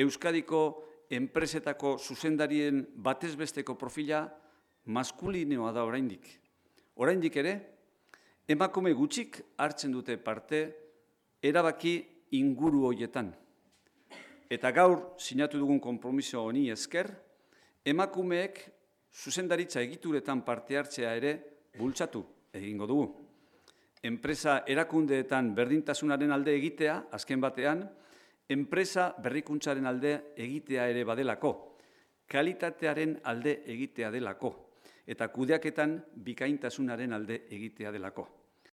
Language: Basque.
Euskadiko enpresetako zuzendarien batezbesteko profila maskulinoa da oraindik. Oraindik ere, emakume gutxik hartzen dute parte erabaki inguru horietan. Eta gaur sinatu dugun konpromiso honi esker, emakumeek zuzendaritza egituretan parte hartzea ere bultzatu egingo dugu. Enpresa erakundeetan berdintasunaren alde egitea, azken batean, enpresa berrikuntzaren alde egitea ere badelako, kalitatearen alde egitea delako, eta kudeaketan bikaintasunaren alde egitea delako.